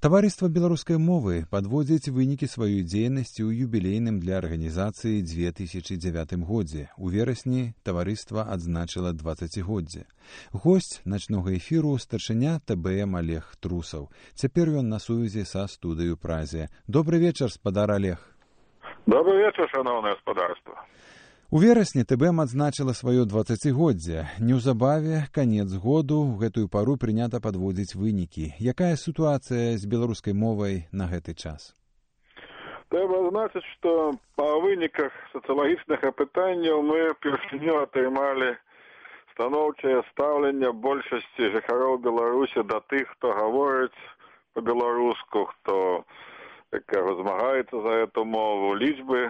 Таварыства беларускай мовы падводзіць вынікі сваёй дзейнасці ў юбілейным для арганізацыі 2009 годзе. У верасні таварыства адзначыла 20годдзе. Госць начнога эфіру старшыня ТБМ Олег Трусаў. Цяпер ён на сувязі са студыю Празе. Добры вечар, спадар Олег. Добрый вечер, шановное господарство. У верасні ТБМ адзначыла сваё 20годдзе. Неўзабаве канец году, у гэтую пару прынята падводзіць вынікі. Якая сітуацыя з беларускай мовай на гэты час? Трэба значыць, што па выніках сацыялагічных апытанняў мы першыню атрымалі станоўчае стаўленне большасці жыхароў Беларусі да тых, хто гаворыць па-беларуску, хто змагаецца за эту мову. Лічбы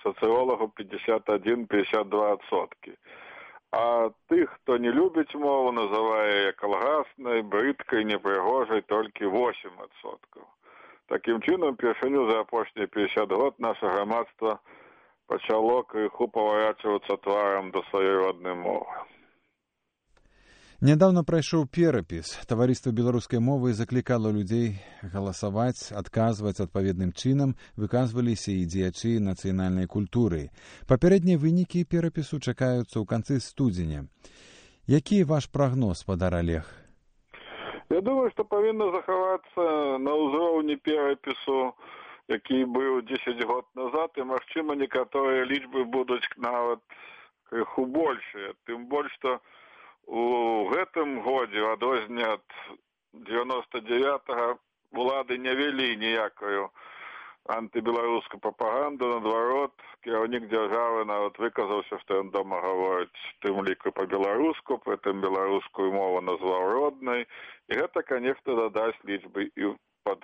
социологов 51-52%. А тых, хто не любіць мову, называе калгаснай, брыдкай, непрыгожай, толькі 8%. Такім чынам, першыню за апошнія 50 год наша грамадства пачало крыху паварачвацца тварам да сваёй роднай мовы. Нядаўна прайшоў перапіс. Таварыства беларускай мовы заклікала людзей галасаваць, адказваць адпаведным чынам, выказваліся і дзеячы нацыянальнай культуры. Папярэднія вынікі перапісу чакаюцца ў канцы студзеня. Які ваш прагноз, спадар Олег? Я думаю, што павінна захавацца на ўзроўні перапісу, які быў 10 год назад, і, магчыма, некаторыя лічбы будуць нават крыху большыя. Тым больш, што у гэтым годзе, у адрозненне ад 99-го, улады не вялі ніякую антыбеларускую прапаганду. Наадварот, кіраўнік дзяржавы нават выказаўся, што ён дома гаворыць тым ліку па-беларуску, прытым беларускую мову назваў роднай. І гэта, канешне, дадасць лічбы і пад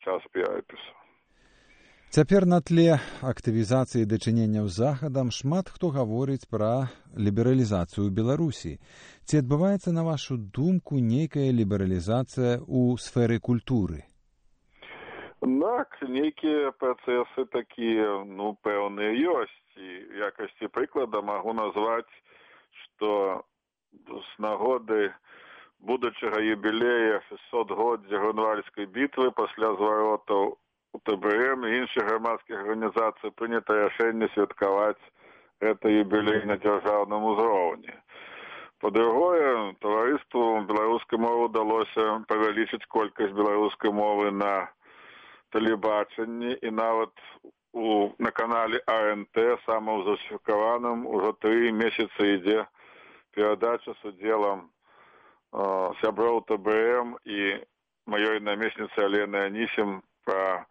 час перапісу. Цяпер на тле актывізацыі дачыненняў з захадам шмат хто гаворыць пра лібералізацыю Беларусі. Ці адбываецца, на вашу думку, нейкая лібералізацыя ў сферы культуры? Так, нейкія працэсы такія, пэўныя ёсць. І в якасці прыклада магу назваць, што з нагоды будучага юбілея 600годдзя Грунвальдскай бітвы пасля зваротаў у ТБМ і іншых грамадскіх арганізацый прынята рашэнне святкаваць гэта юбілей на дзяржаўным узроўні. Па-другое, таварыству беларускай мовы ўдалося павялічыць колькасць беларускай мовы на тэлебачанні, і нават на канале АНТ, самаўзасвяткаваным, ужо 3 месяцы ідзе перадача з удзелам сяброў ТБМ і маёй намесніцы Алены Анісім пра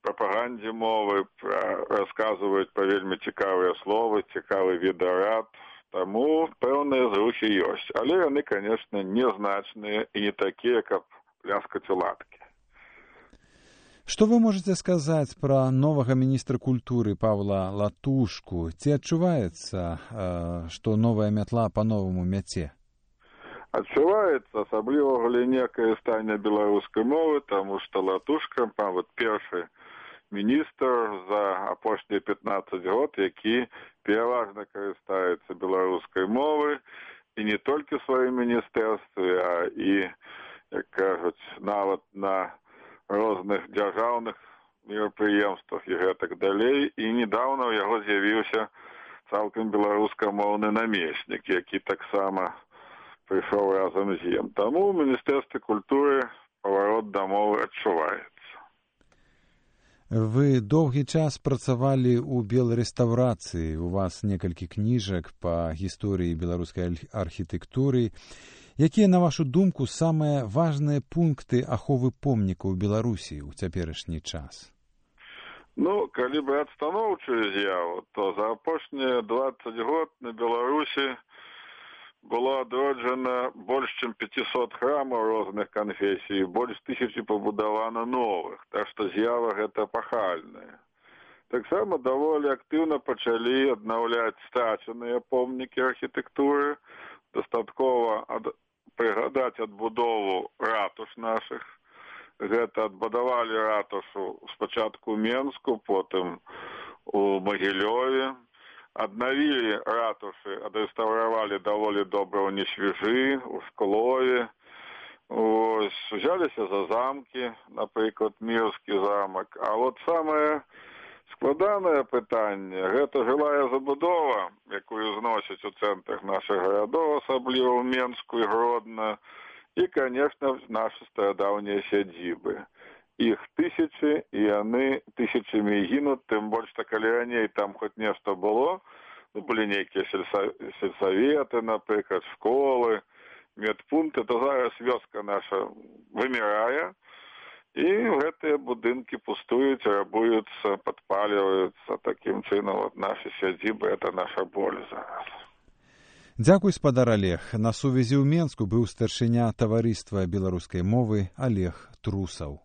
прапагандзе мовы, расказваюць пра вельмі цікавыя словы, цікавы відэарад. Таму пэўныя зрухі ёсць. Але яны, канешне, незначныя і не такія, каб пляскаць у ладкі. Што вы можаце сказаць пра новага міністра культуры Павла Латушку? Ці адчуваецца, што новая мятла па-новаму мяце? Адчуваецца, асабліва ў галіне карыстання беларускай мовы, таму што Латушка, першы міністр за апошнія 15 год, які пераважна карыстаецца беларускай мовай, і не толькі ў сваім міністэрстве, а і, як кажуць, нават на розных дзяржаўных мерапрыемствах і гэтак далей. І недаўна ў яго з'явіўся цалкам беларускамоўны намеснік, які таксама прыйшоў разам з ім. Таму ў міністэрстве культуры паварот да мовы адчуваецца. Вы доўгі час працавалі ў белрэстаўрацыі. У вас некалькі кніжак па гісторыі беларускай архітэктуры. Якія, на вашу думку, самыя важныя пункты аховы помнікаў Беларусі ў цяперашні час? Калі браць станоўчую з'яву, то за апошнія 20 год на Беларусі было адроджана больш чым 500 храмаў розных канфесій, больш 1000 пабудавана новых, так што з'ява гэта пахальная. Таксама даволі актыўна пачалі аднаўляць страчаныя помнікі архітэктуры. Дастаткова прыгадаць адбудову ратуш нашых. Гэта адбудавалі ратушу спачатку ў Менску, потым у Магілёве. Аднавілі ратушы, адрэстаўравалі даволі добра ў Несвіжы, у Шклове. Ось, узяліся за замкі, напрыклад, Мірскі замак. А от самае складанае пытанне – гэта жылая забудова, якую зносяць у цэнтрах нашых гарадоў, асабліва ў Менску і Гродна, і, конечно, нашы старадаўнія сядзібы. Іх тысячы, і яны тысячамі гінуць, тым больш, што калі раней там хоць нешта было, былі нейкія сельсаветы, напрыклад, школы, медпункты, то зараз вёска наша вымірае, і гэтыя будынкі пустуюць, рабуюцца, падпаліваюцца. Такім чынам, вот нашы сядзібы – это наша боль зараз. Дзякуй, спадар Олег. На сувязі ў Менску быў старшыня таварыства беларускай мовы Олег Трусаў.